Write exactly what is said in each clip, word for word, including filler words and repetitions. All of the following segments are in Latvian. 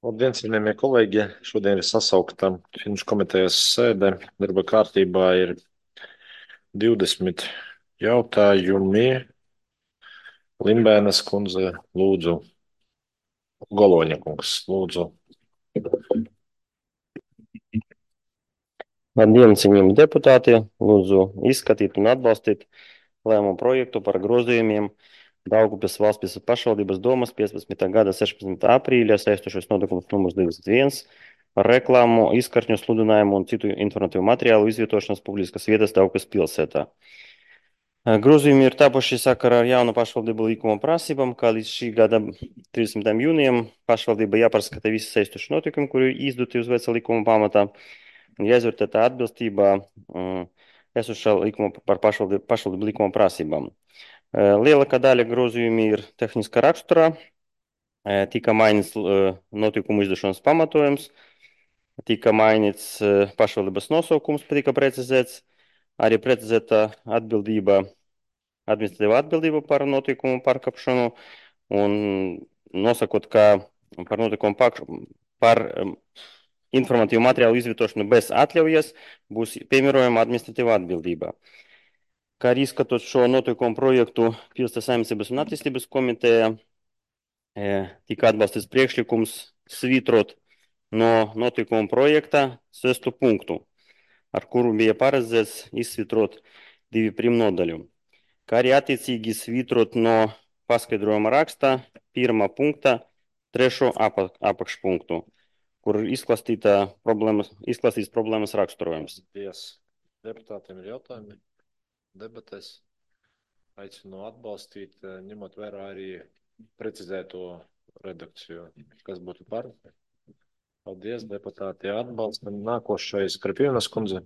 Labdien, cienījamie kolēģi! Šodien ir sasaukta Finanšu komitejas sēde. Darba kārtībā ir divdesmit jautājumi. Limbēnas kundze, lūdzu. Goloņa kungs, lūdzu. Labdien, cienījami deputāti! Lūdzu izskatīt un atbalstīt lēmumu projektu par grozījumiem Daugavpils valsts pašvaldības domas piecpadsmitā gada sešpadsmitā aprīļa saistošais notikums numurs divdesmit viens par reklāmu, izkartņu sludinājumu un citu informatīvu materiālu izvietošanas publiskas vietas Daugavpils pilsētā. Grozījumi ir tapuši sakarā ar jaunu pašvaldību likuma prasībām, kā līdz šī gada trīsdesmitajam jūnijam pašvaldība jāpārskata visi saistoši notikumi, kuri izdoti uz veca likuma pamatā, un jāizvērtē tā atbilstība um, esošā likuma par pašvaldību, pašvaldību likuma prasībām. Uh, lielākā daļa grozījumi ir tehniska raksturā, uh, tika mainīts uh, notikumu izdošanas pamatojums, tika mainīts uh, pašvaldības nosaukums, tika precizēts, arī precizēta atbildība, administratīva atbildība par notikumu pārkāpšanu un nosakot, ka par notikumu par, par um, informatīvu materiālu izvietošanu bez atļaujas būs piemērojama administratīva atbildība. Kā arī izskatot šo notikumu projektu Pilsētas saimniecības un attīstības komiteja, e, tika atbalstīts priekšlikums svītrot no notikuma projekta sesto punktu, ar kuru bija paredzēts izsvitrot divi primnodaļu. Kā arī attiecīgi svītrot no paskaidrojuma raksta pirmā punkta trešo apakšpunktu, kur izklāstīta problēmas, izklāstīts problēmas raksturojums. Paldies. Deputātiem ir jautājumi, debatēs. Aicinu atbalstīt, ņemot vērā arī precizēto redakciju. Kas būtu par? Paldies, deputāti atbalstam. Nākošais Krapienas kundze.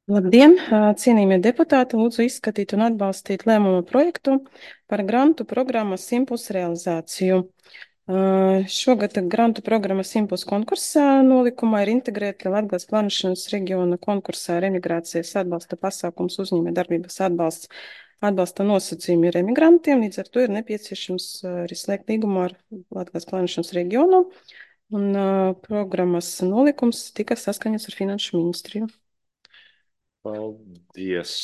Labdien, cienījamie deputāti! Lūdzu izskatīt un atbalstīt lēmumu projektu par grantu programmas Simpuls realizāciju. Šogad grantu programmas Simpuls konkursā nolikumā ir integrēta Latgales plānošanas reģiona konkursā remigrācijas atbalsta pasākums uzņēmē darbības atbalsts. Atbalsta nosacījumi ir emigrantiem, līdz ar to ir nepieciešams arī slēgt līgumu ar Latgales plānošanas reģionu, un programmas nolikums tika saskaņots ar Finanšu ministriju. Paldies.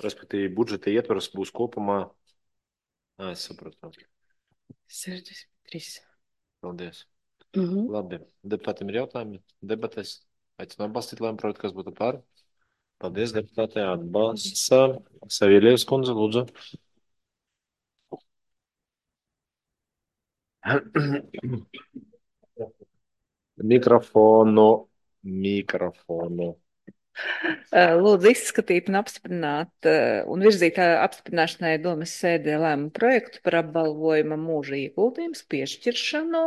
Respektīvi, budžeta ietvars būs kopumā. Ā, es sapratu. sešdesmit trīs. Paldies. Mhm. Labi. Deputātiem ir jautājumi? Debatēs. Aicinu atbalstīt lēmumu projektu, kas būtu par. Paldies, deputātē atbalsta. Saviļievs kundze, lūdzu. Mikrofonu. Mikrofonu. Lūdzu izskatīt un apstiprināt un virzīt apstiprināšanai domas sēdē lēmumu projektu par apbalvojuma mūža ieguldījums piešķiršanu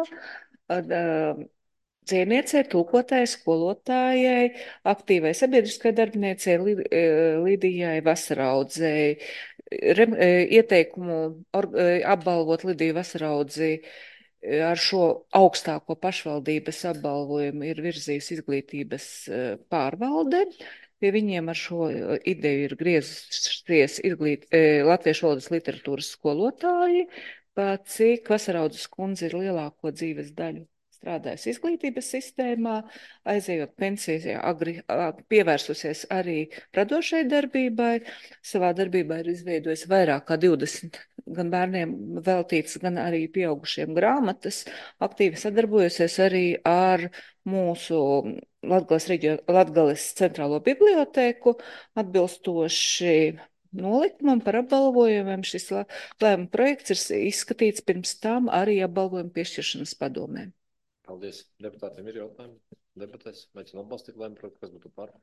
dzēniecei, tulkotājai, skolotājai, aktīvai sabiedriskai darbiniecei Lidijai Vasaraudzei. Ieteikumu apbalvot Lidiju Vasaraudzi ar šo augstāko pašvaldības apbalvojumu ir virzījis izglītības pārvalde. Pie viņiem ar šo ideju ir griezusies izglīt, latviešu valodas literatūras skolotāji, pat cik Vasaraudzes kundze ir lielāko dzīves daļu strādājusi izglītības sistēmā, aizejot pensijā, agri, pievērsusies arī radošai darbībai. Savā darbībā ir izveidojusi vairāk kā divdesmit gan bērniem veltītas, gan arī pieaugušiem grāmatas, aktīvi sadarbojusies arī ar mūsu Latgales, reģio, Latgales centrālo bibliotēku, atbilstoši nolikumam par apbalvojumiem. Šis lēmuma projekts ir izskatīts pirms tam arī apbalvojumu piešķiršanas padomē. Paldies. Deputātiem ir jautājumi? Debatēs. Aicinu atbalstīt lēmumu projektu, kas būtu par.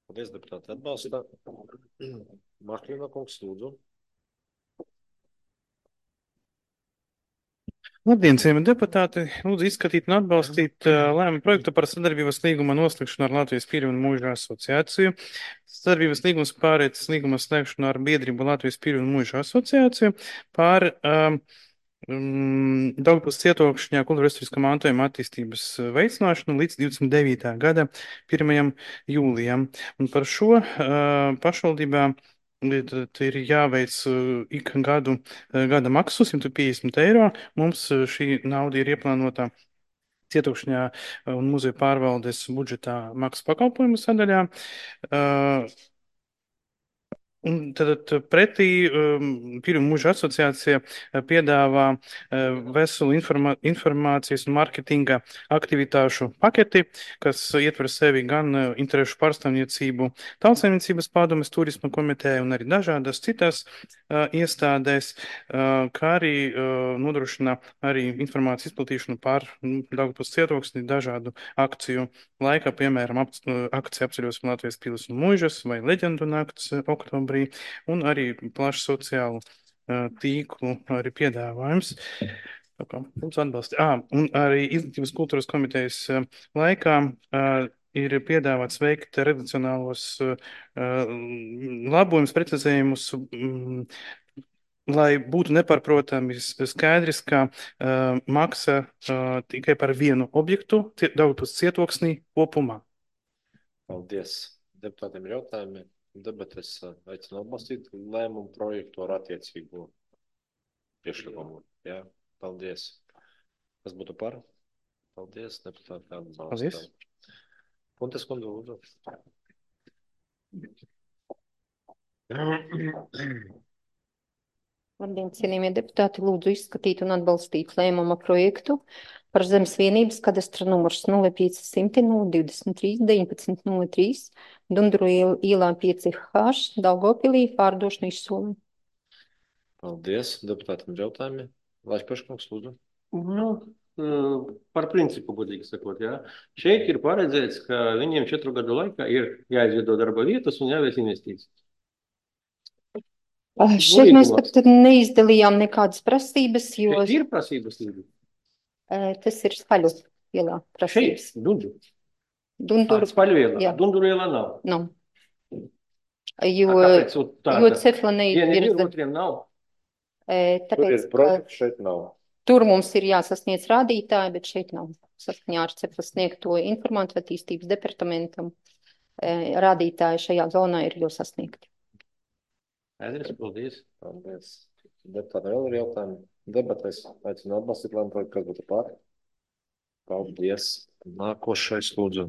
Paldies, deputāti atbalsta. Marklina kungs, lūdzu. Labdien, cienījamie deputāti! Lūdzu izskatīt un atbalstīt uh, lēmumu projektu par sadarbības līguma noslēgšanu ar Latvijas Pīļu un Mūžu asociāciju. Sadarbības līgums pārēc līguma slēgšanu ar biedrību Latvijas Pīļu un Mūžu asociāciju par um, um, Daugavpils cietokšņā kultūra vēsturiskā mantojuma attīstības veicināšanu līdz divdesmit devītā gada pirmajam jūlijam. Un par šo uh, pašvaldībā Tad ir jāveic uh, ik gadu uh, gada maksu simt piecdesmit eiro. Mums uh, šī nauda ir ieplānota Cietukšņā un muzeja pārvaldes budžetā maksas pakalpojumu sadaļā. Uh, Un tad pretī um, Pirmā mūža asociācija uh, piedāvā uh, veselu informā informācijas un marketinga aktivitāšu paketi, kas ietver sevi gan uh, interešu pārstāvniecību Tautsaimniecības padomes turisma komiteja un arī dažādas citas uh, iestādēs, uh, kā arī uh, nodrošina arī informācijas izplatīšanu par nu, Daugavpils cietoksni dažādu akciju laikā, piemēram, ap, akcija apceļosim Latvijas pilis un mūžas vai leģendu nakts oktobrī. Un arī plašu sociālu uh, tīklu arī piedāvājums. Tā kā mums atbalsta. Ah, un arī Izglītības kultūras komitejas uh, laikā uh, ir piedāvāts veikt redakcionālos uh, labojumus, precizējumus, um, lai būtu nepārprotami skaidrs, ka uh, maksa uh, tikai par vienu objektu Daugavpils cietoksnī kopumā. Paldies. Deputātiem ir jautājumi. Debates aicinu atbalstīt lēmumu projektu ar attiecīgo priekšlikumu. Jā, paldies. Kas būtu par? Paldies, deputāti atbalsta. Paldies. Puntes kundze, lūdzu. Labdien, cienījamie deputāti, lūdzu izskatīt un atbalstīt lēmuma projektu par zemes vienības kadastra numurs nulle pieci simti nulle divdesmit trīs deviņpadsmit nulle trīs Dunduru ielā pieci H Daugavpilī pārdošanu izsolē. Paldies. Deputātam ir jautājumi. Laišpaškungs, lūdzu. Nu, par principu, godīgi sakot, jā. Šeit ir paredzēts, ka viņiem četru gadu laikā ir jāizveido darba vietas un jāveic investīcijas. Šeit mēs pat neizdalījām nekādas prasības, jo Šeit ir prasības līdzi. tas ir Spaļu ielā prasības. Šeit, Dundur. Dunduru, Spaļu ielā. jā. Dunduru ielā nav. nav. Jo, Kāpēc? Un tā, jo tā. cefla Vieniem ir, neizvirza. otriem nav. E, Tur Tāpēc, ir projekts, šeit nav. tur mums ir jāsasniedz rādītāji, bet šeit nav saskaņā ar cefla sniegto informāciju attīstības departamentam. E, Rādītāji šajā zonā ir jau sasniegti. Aizries, paldies. Paldies. Deputātam vēl ir jautājumi. Debates aicinu atbalstīt lēmumu projektu, kas būtu par. Paldies. Nākošais, lūdzu.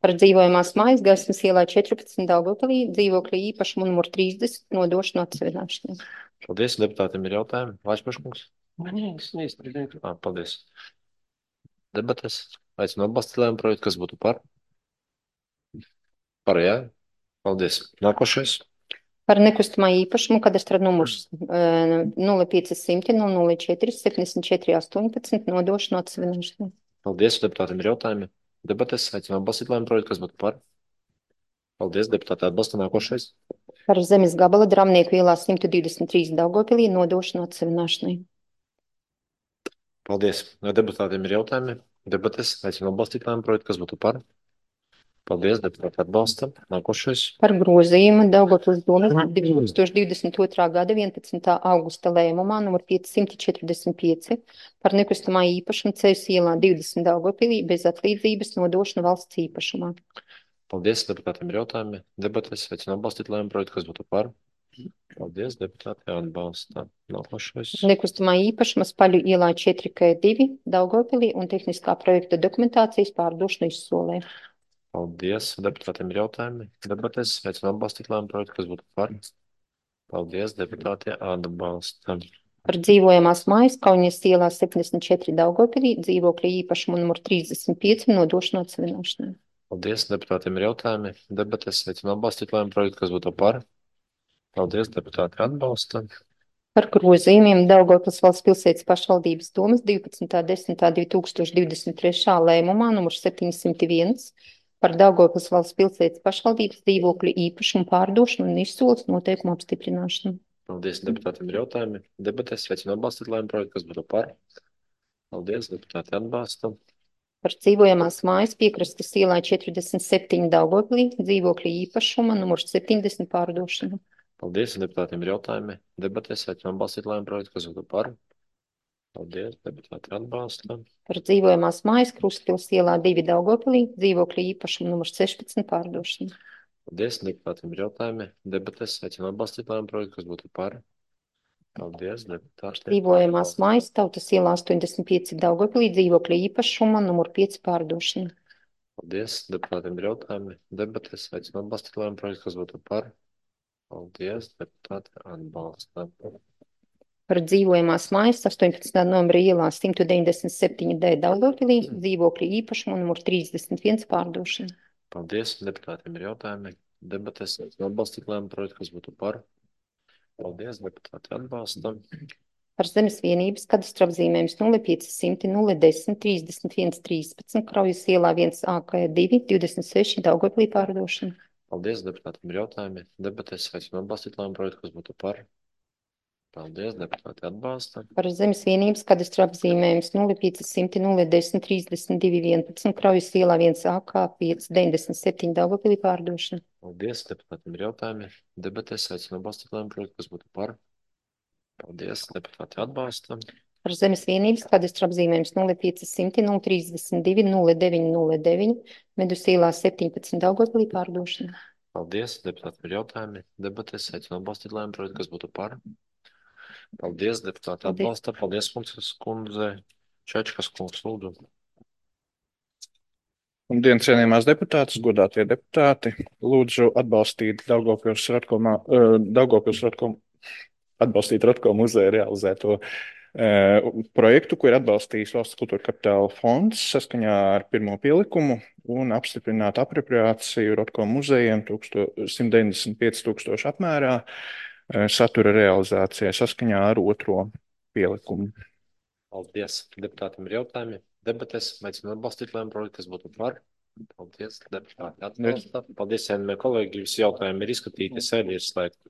Par dzīvojamās mājas Gaismas ielā četrpadsmit Daugavpilī dzīvokļa īpašumu numur trīsdesmit nodošanu atsevināšanai. Paldies. Deputātiem ir jautājumi. Laišpaškungs. Man jāgas neizstrādāt. Ah, paldies. Debates aicinu atbalstīt lēmumu projektu, kas būtu par. Par, jā. Paldies. Nākošais. Par nekustamā īpašumu kadastra numurs nulle pieci simti nulle nulle četri septiņdesmit četri astoņpadsmit nodošanu atsevināšanai. Paldies. Deputātiem ir jautājumi. Debates aicinu atbalstīt lēmumu projektu, kas būtu par. Paldies. Deputāti atbalsta. Nākošais. Par zemes gabala Dramnieku ielā simt divdesmit trīs Daugavpilī nodošanu atsevināšanai. Paldies. Deputātiem ir jautājumi. Debates aicinu atbalstīt lēmumu projektu, kas būtu par. Paldies. Deputāti atbalsta. Nākošais. Par grozījumu Daugavpils domes divi tūkstoši divdesmit otrā gada vienpadsmitā augusta lēmumā numur piecsimt četrdesmit pieci par nekustamā īpašumu Ceļas ielā divdesmit Daugavpilī bez atlīdzības nodošanu valsts īpašumā. Paldies. Deputātiem ir jautājumi. Debates aicinu atbalstīt lēmumu projektu, kas būtu par. Paldies. Deputāti atbalsta. Nākošais. Nekustamā īpašuma Spaļu ielā četri K divi Daugavpilī un tehniskā projekta dokumentācijas pārdošanu izsolē. Paldies. Deputātiem ir jautājumi. Debates aicinu atbalstīt lēmumu projektu, kas būtu par. Paldies. Deputāti atbalsta. Par dzīvojamās mājas Kauņas ielā septiņdesmit četri Daugavpilī dzīvokļa īpašumu numur trīsdesmit pieci nodošanu atsevināšanai. Paldies. Deputātiem ir jautājumi. Debates aicinu atbalstīt lēmumu projektu, kas būtu par. Paldies. Deputāti atbalsta. Par grozījumiem Daugavpils valsts pilsētas pašvaldības domes divpadsmitā desmitā divi tūkstoši divdesmit trešā lēmumā numur septiņsimt viens par Daugavpils valsts pilsētas pašvaldības dzīvokļu īpašumu pārdošanu un izsoles noteikumu apstiprināšanu. Paldies. Deputātiem ir jautājumi. Debates aicinu atbalstīt lēmumu projektu, kas būtu par. Paldies. Deputāti atbalsta. Par dzīvojamās mājas Piekrastes ielā četrdesmit septiņi Daugavpilī dzīvokļu īpašuma numurs septiņdesmit pārdošanu. Paldies. Deputātiem ir jautājumi. Debates aicinu atbalstīt lēmumu projektu, kas būtu par. Paldies. Deputāti atbalsta. Par dzīvojamās mājas Krustpils ielā divi Daugavpilī dzīvokļu īpašuma numurs sešpadsmit pārdošanu. Paldies, deputātiem ir jautājumi. Debates aicinu atbalstīt lēmumu projektu, kas būtu par. Paldies, deputāti. Dzīvojamās mājas Tautas ielā astoņdesmit pieci Daugavpilī dzīvokļa īpašuma numur pieci pārdošana. Paldies, deputātiem ir jautājumi. Debates aicinu atbalstīt lēmumu projektu, kas būtu par. Paldies, deputāti atbalsta. Par dzīvojamās mājas astoņpadsmitā novembra ielā simt deviņdesmit septiņi D Daugavpilī dzīvokļa īpašuma numur trīsdesmit viens pārdošana. Paldies, deputātiem ir jautājumi. Debates aicinu atbalstīt lēmumu projektu, kas būtu par. Paldies, deputāti atbalsta. Par zemes vienības kadastra apzīmējums nulle pieci simti nulle desmit trīsdesmit viens trīspadsmit Kraujas ielā viens A K divi divdesmit seši Daugavpilī pārdošana. Paldies, deputātiem ir jautājumi. Debates aicinu atbalstīt lēmumu projektu, kas būtu par. Paldies, deputāti atbalsta. Par zemes vienības kadastra apzīmējums nulle pieci simti nulle desmit trīsdesmit divi vienpadsmit Kraujas ielā viens A K pieci deviņdesmit septiņi Daugavpilī pārdošana. Paldies, deputātiem ir jautājumi. Debates aicinu atbalstīt lēmumu projektu, kas būtu par. Paldies, deputāti atbalsta. Par zemes vienības kadastra apzīmējums nulle pieci simti nulle trīsdesmit divi nulle deviņi nulle deviņi Medus ielā septiņpadsmit Daugavpilī pārdošana. Paldies, deputātiem ir jautājumi. Debates aicinu atbalstīt lēmumu projektu, kas būtu par. Paldies, deputāti Paldies. atbalsta. Paldies, kundzes kundze. Čečkas kungs, lūdzu. Labdien, cienījamās deputātes, godātie deputāti. Lūdzu atbalstīt Daugavpils Ratko, uh, Daugavpils Ratko, atbalstīt Ratko muzeja realizēto uh, projektu, ko ir atbalstījis Valsts kultūra kapitāla fonds saskaņā ar pirmo pielikumu un apstiprināt apropriāciju Ratko muzejiem simt deviņdesmit pieci tūkstoši apmērā uh, satura realizācijai saskaņā ar otro pielikumu. Paldies, deputātiem ir jautājumi. Debates aicinu atbalstīt lēmumu projektu, kas būtu par. Paldies, deputāti atbalsta. Paldies, vienmēr kolēģi, visi jautājumi ir izskatīti, sēdi ir slēgti.